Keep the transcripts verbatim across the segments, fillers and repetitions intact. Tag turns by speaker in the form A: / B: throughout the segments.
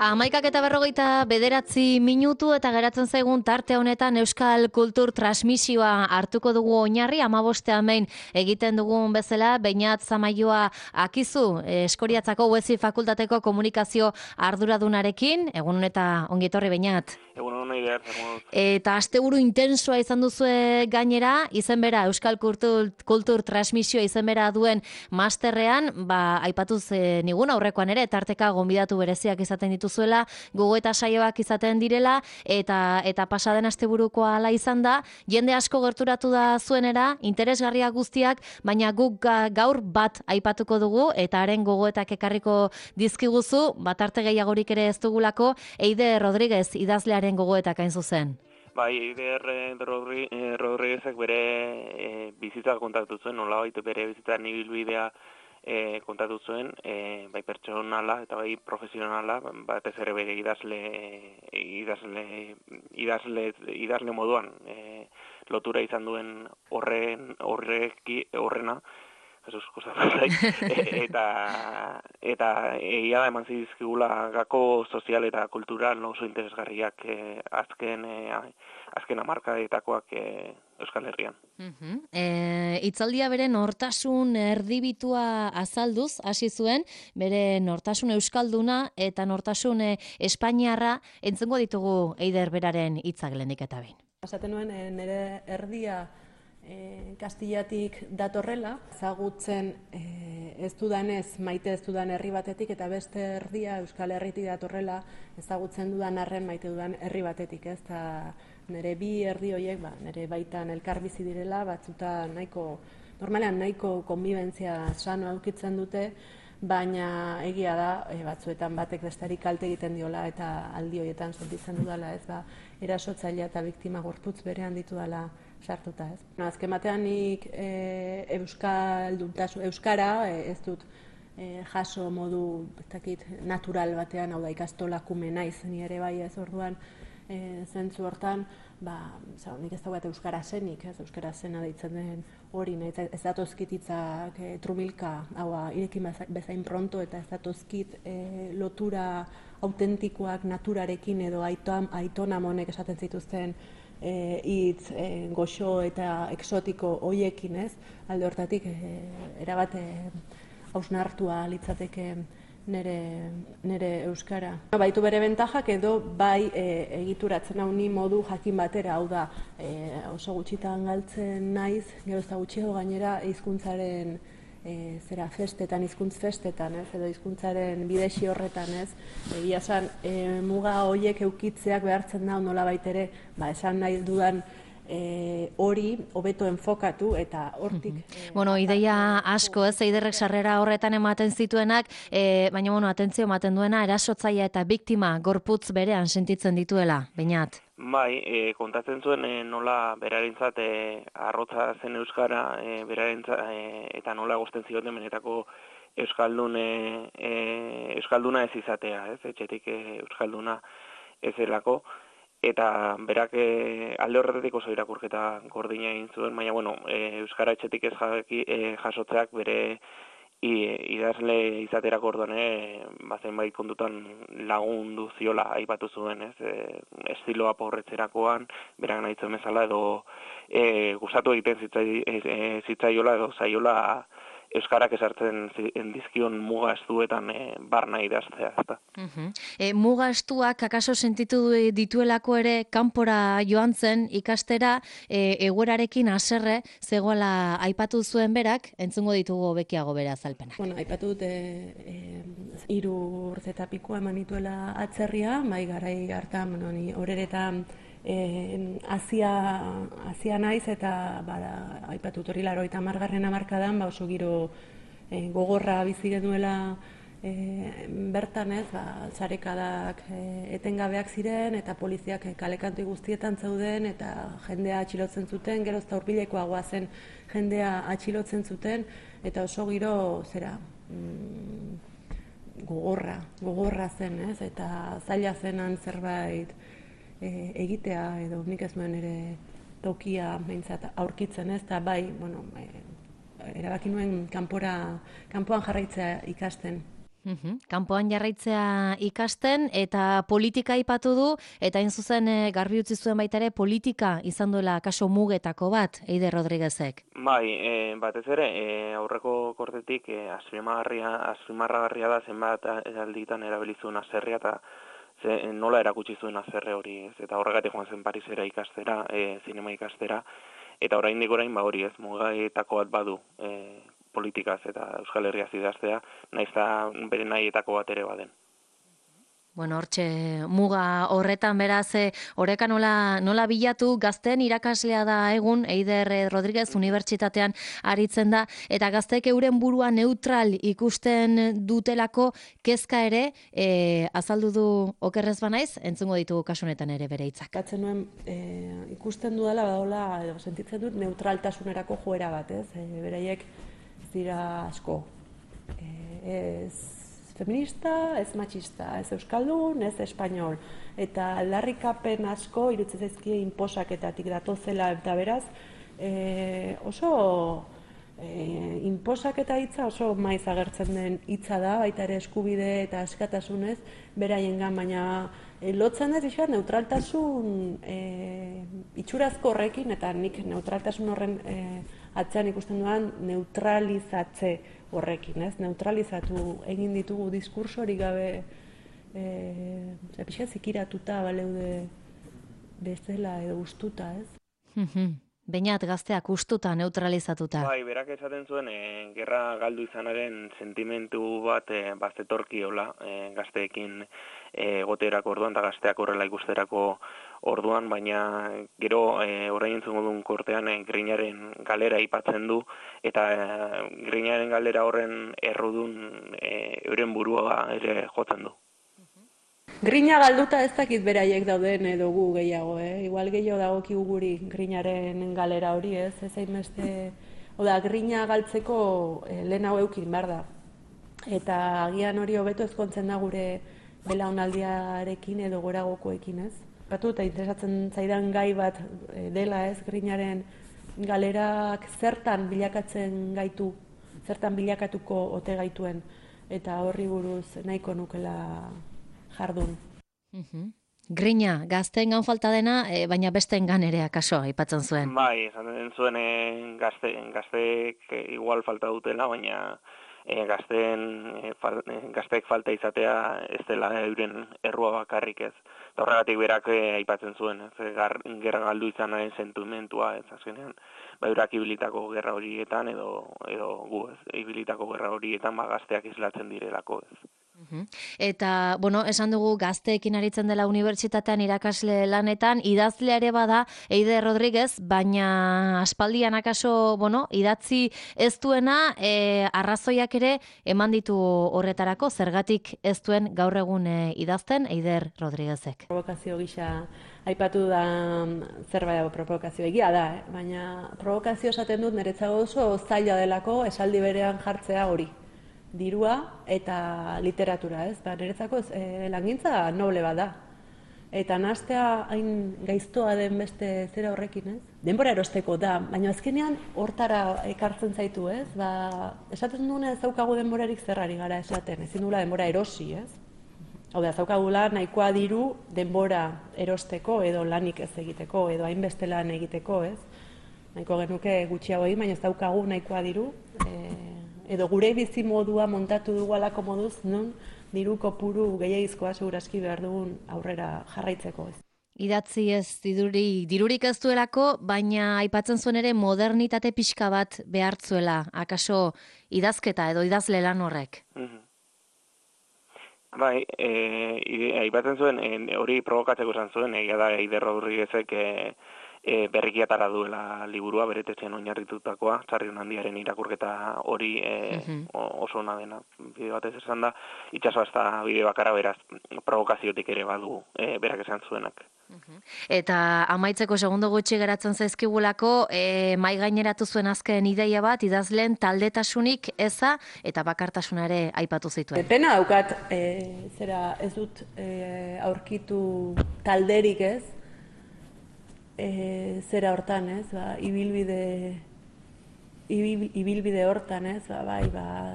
A: Hamaikak eta berrogeita bederatzi minutu eta geratzen zaigun tarte honetan Euskal Kultur Transmisioa hartuko dugu oinarri, hamabostean behin egiten dugun bezala, Beñat Zamaioa Akizu, Eskoriatzako Uezi Fakultateko komunikazio arduradunarekin, egun eta ongi etorri Beñat.
B: Egun hona idear,
A: Eta asteburu intensoa izan duzue gainera, izen bera, Euskal Kultur, Kultur Transmisioa izen bera duen masterrean, ba, aipatuz e, nigun aurrekoan ere, tarteka gonbidatu bereziak izaten dituzuela, gogo eta saioak izaten direla, eta eta pasaden asteburukoa hala izan da, jende asko gerturatu da zuenera, interesgarriak guztiak, baina guk gaur bat aipatuko dugu, eta haren gogoetak ekarriko dizkiguzu, bat arte gehiagorik ere ez dugulako, Eider Rodriguez idazlearen gogoetak hain zuzen.
B: Bai, Eider Rodri, eh, Rodriguezek bere eh, bizitza kontatu zuen, nolabait bere bizitza ibilbidea eh, kontatu zuen, eh, bai pertsonala eta bai profesionala, batez ere bere idazle idazle idazle idazle moduan eh, lotura izan duen horren horreki horrena. Jesus, eta eta egia da eman zizkigula gako sozial eta kultural oso interesgarriak eh, azken eh, azken hamarkadetakoak eh, Euskal Herrian.
A: Uh-huh. E, itzaldia bere nortasun erdibitua azalduz hasi zuen, bere nortasun euskalduna eta nortasun eh, espainiarra entzungo ditugu Eider beraren hitzak lehenik eta behin.
C: Esaten nuen eh, nire erdia E, Kastillatik datorrela, ezagutzen e, ez dudanez, maite ez dudan herri batetik, eta beste erdia Euskal Herritik datorrela, ezagutzen dudan arren maite dudan herri batetik, ez? Ta nire bi erdi horiek, ba, nire baitan elkar bizi direla, batzuta nahiko, normalean nahiko konbibentzia sano aukitzen dute, baina egia da, e, batzuetan batek bestari kalte egiten diola, eta aldi horietan sentitzen dudala, ez ba, erasotzailea eta biktima gorputz berean ditudala sartuta, ez. No, azken batean nik e, euskalduntasun, euskara e, ez dut e, jaso modu betakit, natural batean, hau da ikastolakume naiz, ni ere bai ez orduan e, zentzu hortan, ba, zau, nik ez daugat euskara zenik, ez euskara zena deitzen den hori, nahi, ez datozkititzak e, trubilka, hau irekin bezain pronto, eta ez datozkit e, lotura autentikoak naturarekin edo aiton, aiton amonek esaten zituzten hitz e, e, goxo eta exotiko hoiekin, ez? Alde hortatik e, erabat e, hausnartua litzateke nire, nire euskara. Baitu bere bentajak edo bai e, egituratzen hau ni modu jakin batera, hau da e, oso gutxitan galtzen naiz, gero ez da gutxiago gainera hizkuntzaren E, zera festetan, hizkuntz festetan, ez, edo hizkuntzaren bidexi horretan, ez, egia esan, e, muga horiek eukitzeak behartzen da, nola baitere, ba, esan nahi dudan e, hori hobeto enfokatu eta hortik.
A: Mm-hmm. e, bueno, ideia asko, ez, Eiderrek sarrera horretan ematen zituenak, e, baina, bueno, atentzio ematen duena, erasotzailea eta biktima gorputz berean sentitzen dituela, Beñat.
B: Bai, e, kontatzen zuen e, nola berarentzat e, arrotza zen euskara, e, berarentzat e, eta nola egosten zioten benetako euskaldun e, e, euskalduna ez izatea, ez? Etxetik e, euskalduna ez delako, eta berak e, alde horretatik oso irakurketa gordina egin zuen, baina bueno, e, euskara etxetik ez jaki, e, jasotzeak bere I, idazle izaterako orduan bazen bai kontutan lagundu ziola aipatu zuen, ez? E, estiloa porretzerakoan, berak nahi zuen bezala edo e, gustatu egiten zitzai, e, zitzaiola edo zaiola euskarak esartzen dizkion muga estuetan e, barna idaztea, ezta.
A: Uh-huh. E, muga estuak akaso sentitu dituelako ere kanpora joan zen ikastera, e, egoerarekin haserre zegoela aipatu zuen berak, entzungo ditugu bekiago bere azalpenak.
C: Bueno, aipatu dute e, hiru urte eta pikoa eman dituela atzerria, mai garai hartan, bueno, ni horeretan Azia e, naiz eta bada, aipatut hori laro eta margarren hamarkadan, ba oso giro e, gogorra bizi genuela e, bertan, ez, ba, zarekadak e, etengabeak ziren eta poliziak e, kalekantu guztietan zeuden eta jendea atxilotzen zuten, gero eta hurbilekoagoa zen jendea atxilotzen zuten eta oso giro zera mm, gogorra, gogorra zen, ez, eta zaila zenan zerbait E, egitea edo nik ez nuen ere tokia behintzat aurkitzen, ez, eta bai, bueno, e, erabaki nuen kanpora, kanpoan jarraitzea ikasten.
A: Uhum. Kanpoan jarraitzea ikasten eta politika aipatu du, eta hain zuzen e, garbi utzi zuen baita ere politika izan duela kaso mugetako bat, Eider Rodriguezek.
B: Bai, e, batez ere, e, aurreko kortetik e, azpimarragarria, azpimarragarria da zenbat alditan erabilizuen azerria eta ze, nola erakutsi zuen azerre hori, ez? Eta horregatik joan zen Parisera ikastera, e, zinema ikastera, eta oraindik orain ba hori ez, mugaetako bat badu, e, politikaz eta Euskal Herria idaztea, naiz eta bere nahietako bat ere baden.
A: Bueno, hortxe muga horretan beraz, oreka nola, nola bilatu, gazten irakaslea da egun, Eider Rodriguez unibertsitatean aritzen da, eta gazteek euren burua neutral ikusten dutelako kezka ere, e, azaldu du okerrez banaiz, entzungo ditugu kasunetan ere bere hitzak.
C: Katzen nuen, e, ikusten dudala, badola, edo sentitzen dut neutraltasunerako joera bat, ez? E, beraiek dira asko. E, ez feminista, ez matxista, ez euskaldun, ez espainol. Eta aldarrikapen asko irutzen zaizkie inposaketatik datozela eta beraz, e, oso e, inposaketa hitza oso maiz agertzen den hitza da, baita ere eskubide eta askatasunez beraiengan, baina e, lotzen ez izan neutraltasun e, itxurazko horrekin, eta nik neutraltasun horren e, atzean ikusten duan neutralizatze horrekin, ez? Neutralizatu egin ditugu diskursorik gabe e, pixka zikiratuta baleude bezala edo gustuta, ez?
A: Beñat gazteak ustuta, neutralizatuta.
B: Bai, berak esaten zuen, e, gerra galdu izanaren sentimentu bat e, bazetorkiola e, gazteekin egoterako orduan, eta gazteak horrela ikusterako orduan, baina gero e, orain entzungo duen kortean e, Grinaren galera aipatzen du, eta e, Grinaren galera horren errudun e, euren burua ere jotzen du.
C: Grina galduta ez dakit beraiek dauden edo gu gehiago, eh? Igual gehiago dagokigu guri Grinaren galera hori, ez? Ez hainbeste, oda, Grina galtzeko eh, lehen hau eukin behar da. Eta agian hori hobeto ezkontzen da gure belaunaldiarekin edo goragokoekin, ez? Batu eta interesatzen zaidan gai bat eh, dela, ez? Grinaren galerak zertan bilakatzen gaitu, zertan bilakatuko ote gaituen, eta horri buruz nahiko nukela jardun.
A: Uhum. Grina, gazteengan falta dena, e, baina besteengan ere akaso aipatzen zuen.
B: Bai, esaten zuen e, gazte, gazteek e, igual falta dutela, baina e, gazteen, e, fal, e, gazteek falta izatea ez dela euren errua bakarrik ez. Eta horregatik berak e, aipatzen zuen, ez, gar, gerra galdu izanaren sentimentua, ez azkenean, ba, eurak ibilitako gerra horietan edo, edo gu ez, ibilitako gerra horietan ba, gazteak islatzen direlako ez.
A: Eta, bueno, esan dugu gazteekin aritzen dela unibertsitatean irakasle lanetan, idazlea ere bada Eider Rodriguez, baina aspaldian akaso, bueno, idatzi ez duena, e, arrazoiak ere eman ditu horretarako, zergatik ez duen gaur egun e, idazten Eider Rodriguezek.
C: Provokazio gisa aipatu da zerbait provokazio egia da, eh? Baina provokazio esaten dut niretzago oso zaila delako esaldi berean jartzea hori. Dirua eta literatura, ez? Ba, niretzako e, langintza noble bat da. Eta nahastea hain gaiztoa den beste zera horrekin, ez? Denbora erosteko da, baina azkenean hortara ekartzen zaitu, ez? Ba, esaten duena ez daukagu denborarik zerrari gara esaten, ezin dula denbora erosi, ez? Hau da, zaukagula nahikoa diru denbora erosteko edo lanik ez egiteko, edo hainbeste lan egiteko, ez? Nahiko genuke gutxiago egin, baina ez daukagu nahikoa diru, e, edo gure bizi modua montatu dugu alako moduz, non diru kopuru gehiagizkoa segurazki behar dugun aurrera jarraitzeko, ez.
A: Idatzi ez diruri, dirurik ez duelako, baina aipatzen zuen ere modernitate pixka bat behartzuela, akaso idazketa edo idazle lan horrek.
B: Mm-hmm. Bai, e, aipatzen zuen, e, hori provokatzeko esan zuen, egia da Eider Rodriguezek e, e, berrikiatara duela liburua, beretetxean oinarritutakoa, Sarrion Handiaren irakurketa hori e, uh-huh. oso ona dena, bide batez esan da, itxasoa ez da bide bakarra beraz, provokaziotik ere badu e, berak esan zuenak.
A: Uh-huh. Eta amaitzeko segundo gutxi geratzen zaizkigulako, e, mai gaineratu zuen azken ideia bat, idazleen taldetasunik eza eta bakartasuna ere aipatu zituen.
C: Pena daukat, e, zera ez dut e, aurkitu talderik, ez? E, zera hortan, ez? Ba, ibilbide, ibil, ibilbide hortan, ez? Ba, bai, ba,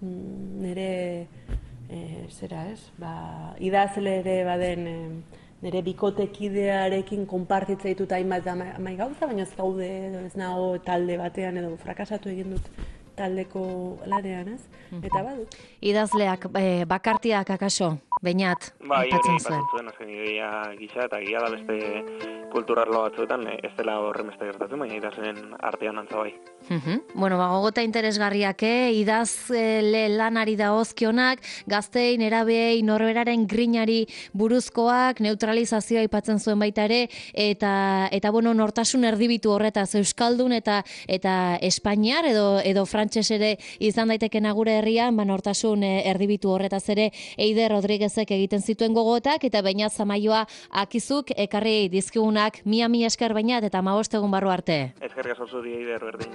C: mm, nire e, zera ez, ba, idazle ere baden e, nire bikotekidearekin konpartitzea ditut hainbat amai gauza, baina ez gaude edo ez nago talde batean edo frakasatu egin dut taldeko lanean, ez? Eta badut.
A: Idazleak e, bakartiak akaso, Beñat,
B: bai,
A: aipatzen
B: hori
A: zuen.
B: aipatzen zuen, azken ideia gisa, eta gila da beste kulturarlo batzuetan, ez dela horren beste gertatzen, baina idazleen artean antza bai.
A: Uhum. Bueno, ba, gogota interesgarriak, eh? Idazle lanari dagozkionak, gaztein, erabeei, norberaren grinari buruzkoak, neutralizazioa aipatzen zuen baita ere, eta, eta bueno, nortasun erdibitu horretaz, euskaldun eta eta espainiar edo edo frantses ere izan daitekena gure herrian, ba, nortasun erdibitu horretaz ere Eider Rodriguezek egiten zituen gogotak, eta Beñat Zamaioa akizuk ekarri dizkigunak, mia mi esker Beñat, eta hamabost egun barru arte.
B: Eskerrik asko zuri Eider, berdin.